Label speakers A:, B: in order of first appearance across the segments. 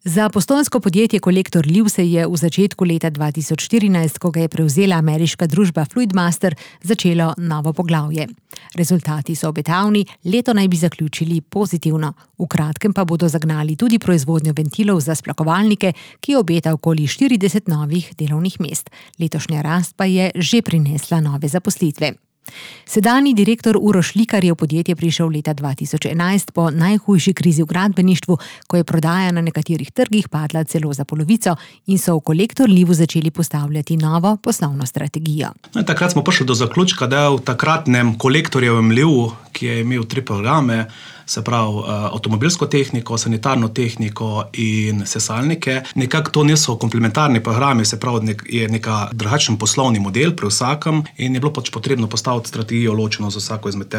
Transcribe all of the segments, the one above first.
A: Za postojnsko podjetje Kolektor Liv se je v začetku leta 2014, ko ga je prevzela ameriška družba Fluidmaster, začelo novo poglavje. Rezultati so obetavni, leto naj bi zaključili pozitivno. V kratkem pa bodo zagnali tudi proizvodnjo ventilov za splakovalnike, ki obeta okoli 40 novih delovnih mest. Letošnja rast pa je že prinesla nove zaposlitve. Sedanji direktor Uroš Likar je v podjetje prišel leta 2011 po najhujši krizi v gradbeništvu, ko je prodaja na nekaterih trgih padla celo za polovico in so v Kolektor Livu začeli postavljati novo poslovno strategijo.
B: Takrat smo prišli do zaključka, da v takratnem Kolektorjevem Livu, ki je imel 3 programe, se pravi avtomobilsko tehniko, sanitarno tehniko in sesalnike. Nekako to niso komplementarni programi, se pravi je neka drugačen poslovni model pri vsakem in je bilo pač potrebno postaviti strategijo ločeno za vsako izmed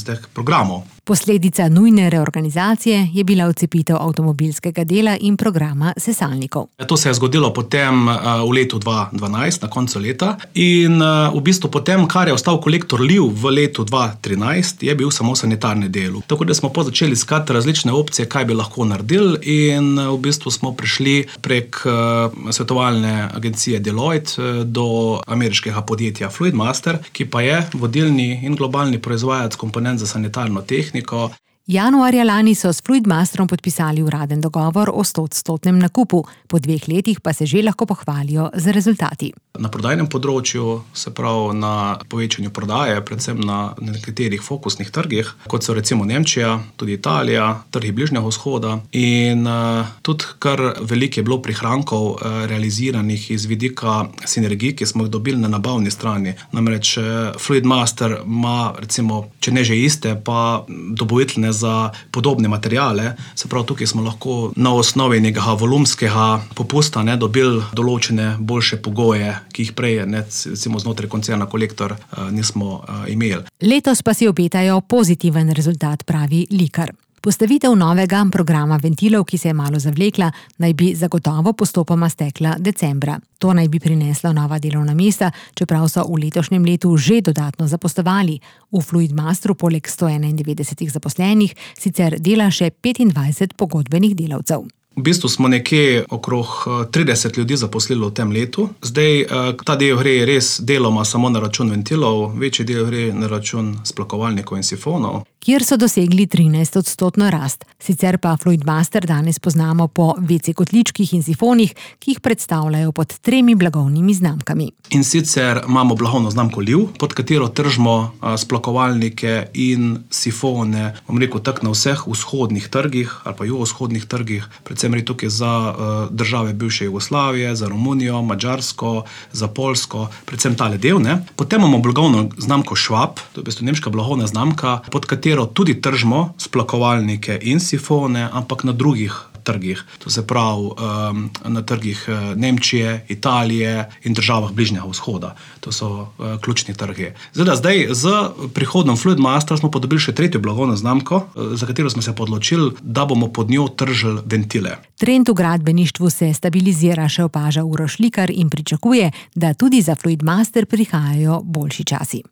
B: teh programov.
A: Posledica nujne reorganizacije je bila odcepitev avtomobilskega dela in programa sesalnikov.
B: To se je zgodilo potem v letu 2012, na koncu leta, in v bistvu potem, kar je ostal Kolektor Liv v letu 2013, je bil samo sanitarni del. Tako da smo začeli iskati različne opcije, kaj bi lahko naredili, in v bistvu smo prišli prek svetovalne agencije Deloitte do ameriškega podjetja Fluidmaster, ki pa je vodilni in globalni proizvajalec komponent za sanitarno tehniko.
A: Januarja lani so s Fluidmasterom podpisali uraden dogovor o 100% nakupu, po 2 letih pa se že lahko pohvalijo z rezultati.
B: Na prodajnem področju, se pravi na povečanju prodaje, predvsem na nekaterih fokusnih trgih, kot so recimo Nemčija, tudi Italija, trgi Bližnjega vzhoda, in tudi kar veliko je bilo prihrankov realiziranih iz vidika sinergij, ki smo jih dobili na nabavni strani. Namreč Fluidmaster ima recimo, če ne že iste, pa dobavitelje za podobne materijale, se pravi tukaj smo lahko na osnovi nekega volumskega popusta dobili določene boljše pogoje, ki jih prej recimo znotraj koncerna Kolektor nismo imeli.
A: Letos pa si obetajo pozitiven rezultat, pravi Likar. Postavitev novega programa ventilov, ki se je malo zavlekla, naj bi zagotovo postopoma stekla decembra. To naj bi prineslo nova delovna mesta, čeprav so v letošnjem letu že dodatno zaposlovali. V Fluidmasteru poleg 191 zaposlenih sicer dela še 25 pogodbenih delavcev.
B: V bistvu smo nekje okrog 30 ljudi zaposlili v tem letu. Zdaj, ta del gre res deloma samo na račun ventilov, večji del gre na račun splakovalnikov in sifonov,
A: kjer so dosegli 13% rast. Sicer pa Fluidmaster danes poznamo po WC kotličkih in sifonih, ki jih predstavljajo pod 3 blagovnimi znamkami.
B: In sicer imamo blagovno znamko Liv, pod katero tržimo splakovalnike in sifone, bom rekel tako na vseh vzhodnih trgih ali pa jugovzhodnih trgih, predvsem gre tukaj za države bivše Jugoslavije, za Romunijo, Madžarsko, za Poljsko, predvsem tale del. Potem imamo blagovno znamko Schwab, to je v bistvu nemška blagovna znamka, pod katero tudi tržimo splakovalnike in sifone, ampak na drugih trgih. To se pravi na trgih Nemčije, Italije in državah Bližnjega vzhoda. To so ključni trgi. Zdaj z prihodom Fluidmastera smo pa dobili še 3. blagovno znamko, za katero smo se odločili, da bomo pod njo tržili ventile.
A: Trend v gradbeništvu se stabilizira, še opaža Uroš Likar, in pričakuje, da tudi za Fluidmaster prihajajo boljši časi.